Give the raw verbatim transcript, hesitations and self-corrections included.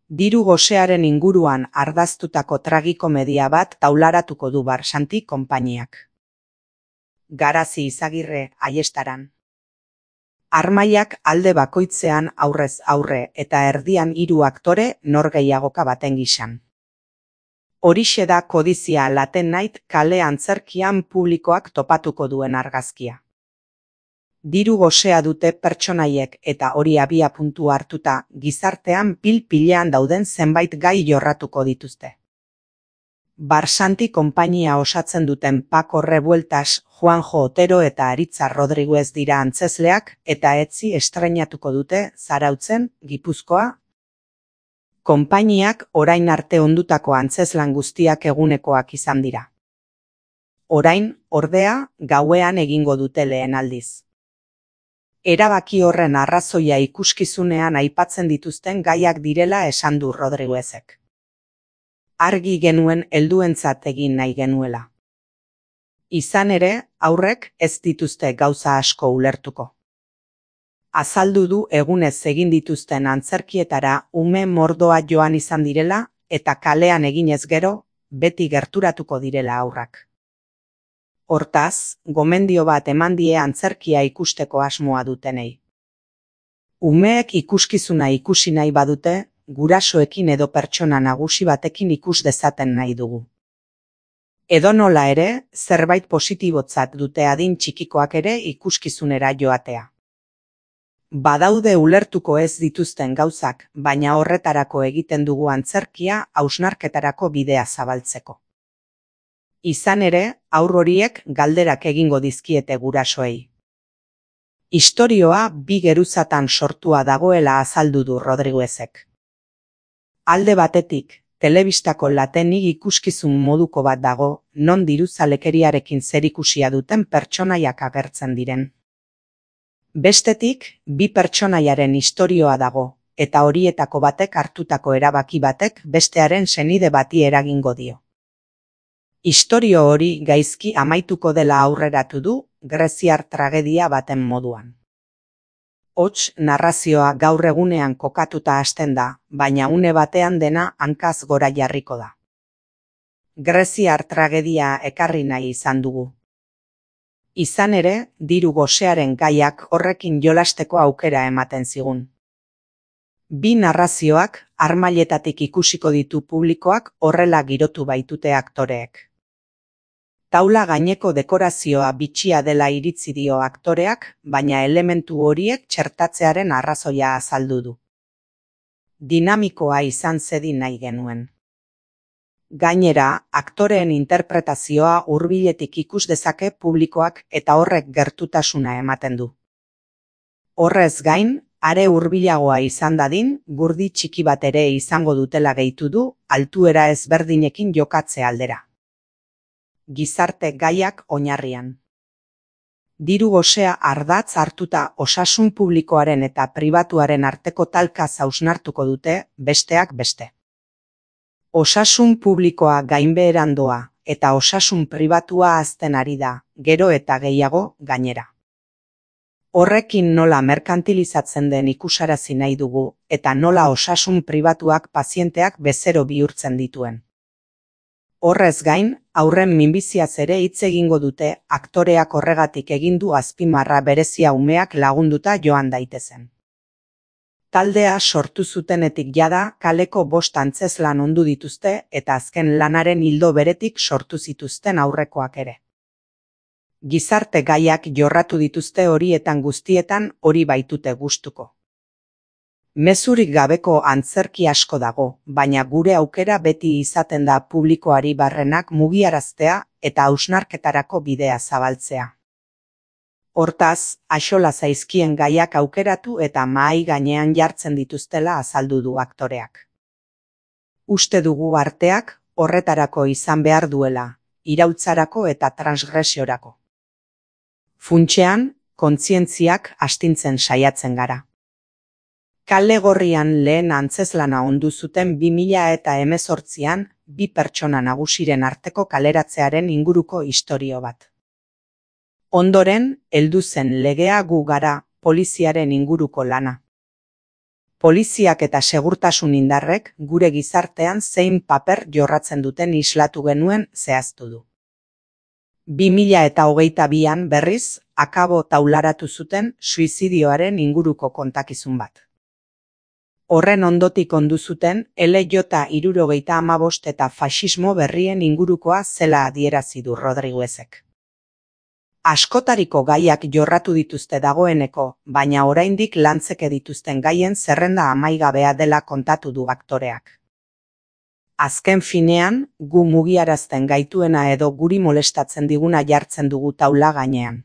Diru gosearen inguruan ardaztutako tragikomedia bat taularatuko du Barsanti konpainiak. Garazi Izagirre, Aiestaran. Armaiak alde bakoitzean aurrez aurre eta erdian hiru aktore norgehiagoka baten gisan. Horixe da Kodizia Late Night kale antzerkian publikoak topatuko duen argazkia. Diru gosea dute pertsonaiek eta hori abia puntu hartuta gizartean pil-pilean dauden zenbait gai jorratuko dituzte. Barsanti konpainia osatzen duten Paco Revueltas, Juanjo Otero eta Aritza Rodriguez dira antzezleak eta etzi estreinatuko dute Zarautzen, Gipuzkoa. Konpainiak orain arte ondutako antzezlan guztiak egunekoak izan dira. Orain, ordea, gauean egingo dute lehen aldiz. Erabaki horren arrazoia ikuskizunean aipatzen dituzten gaiak direla esan du Rodriguezek. Argi genuen helduentzat egin nahi genuela. Izan ere, aurrek ez dituzte gauza asko ulertuko. Azaldu du egunez egin dituzten antzerkietara ume mordoa joan izan direla eta kalean eginez gero, beti gerturatuko direla aurrak. Hortaz, gomendio bat eman die antzerkia ikusteko asmoa dutenei. Umeek ikuskizuna ikusi nahi badute, gurasoekin edo pertsona nagusi batekin ikus dezaten nahi dugu. Edonola ere, zerbait positibotzat dute adin txikikoak ere ikuskizunera joatea. Badaude ulertuko ez dituzten gauzak, baina horretarako egiten dugu antzerkia hausnarketarako bidea zabaltzeko. Izan ere, haur horiek galderak egingo dizkiete gurasoei. Istorioa bi geruzatan sortua dagoela azaldu du Rodriguezek. Alde batetik, telebistako latenik ikuskizun moduko bat dago, non diruzalekeriarekin zerikusia duten pertsonaiak agertzen diren. Bestetik, bi pertsonaiaren istorioa dago, eta horietako batek hartutako erabaki batek bestearen senide bati eragingo dio. Istorio hori gaizki amaituko dela aurreratu du, greziar tragedia baten moduan. Hots, narrazioa gaur egunean kokatuta hasten da, baina une batean dena hankaz gora jarriko da. Greziar tragedia ekarri nahi izan dugu. Izan ere, diru gosearen gaiak horrekin jolasteko aukera ematen zigun. Bi narrazioak armailetatik ikusiko ditu publikoak horrela girotu baitute aktoreek. Taula gaineko dekorazioa bitxia dela iritzi dio aktoreak, baina elementu horiek txertatzearen arrazoia azaldu du. Dinamikoa izan zedin nahi genuen. Gainera, aktoreen interpretazioa hurbiletik ikus dezake publikoak eta horrek gertutasuna ematen du. Horrez gain, are hurbilagoa izan dadin, gurdi txiki bat ere izango dutela gehitu du, altuera ezberdinekin jokatze aldera. Gizarte gaiak oinarrian. Diru gosea ardatz hartuta osasun publikoaren eta pribatuaren arteko talka hausnartuko dute, besteak beste. Osasun publikoa gainbeheran doa eta osasun pribatua hazten ari da, gero eta gehiago gainera. Horrekin nola merkantilizatzen den ikusarazi nahi dugu eta nola osasun pribatuak pazienteak bezero bihurtzen dituen. Horrez gain, aurren minbiziaz ere hitz egingo dute aktoreak horregatik egin du azpimarra berezia umeak lagunduta joan daitezen. Taldea sortu zutenetik jada kaleko bost antzezlan ondu dituzte eta azken lanaren ildo beretik sortu zituzten aurrekoak ere. Gizarte gaiak jorratu dituzte horietan guztietan hori baitute gustuko. Mezurik gabeko antzerki asko dago, baina gure aukera beti izaten da publikoari barrenak mugiaraztea eta hausnarketarako bidea zabaltzea. Hortaz, axola zaizkien gaiak aukeratu eta mahai gainean jartzen dituztela azaldu du aktoreak. Uste dugu arteak horretarako izan behar duela, irautzarako eta transgresiorako. Funtsean, kontzientziak astintzen saiatzen gara. Kale Gorrian lehen antzezlana ondu zuten bi mila eta hemezortzian bi pertsona nagusiren arteko kaleratzearen inguruko istorio bat. Ondoren, heldu zen Legea gu gara, poliziaren inguruko lana. Poliziak eta segurtasun indarrek gure gizartean zein paper jorratzen duten islatu genuen zehaztu du. bi mila eta hogeita bian berriz, akabo taularatu zuten suizidioaren inguruko kontakizun bat. Horren ondotik ondu zuten L J hirurogeita hamabost eta faxismo berrien ingurukoa zela adierazi du Rodriguezek. Askotariko gaiak jorratu dituzte dagoeneko, baina oraindik lantzeke dituzten gaien zerrenda amaigabea dela kontatu du aktoreak. Azken finean, gu mugiarazten gaituena edo guri molestatzen diguna jartzen dugu taula gainean.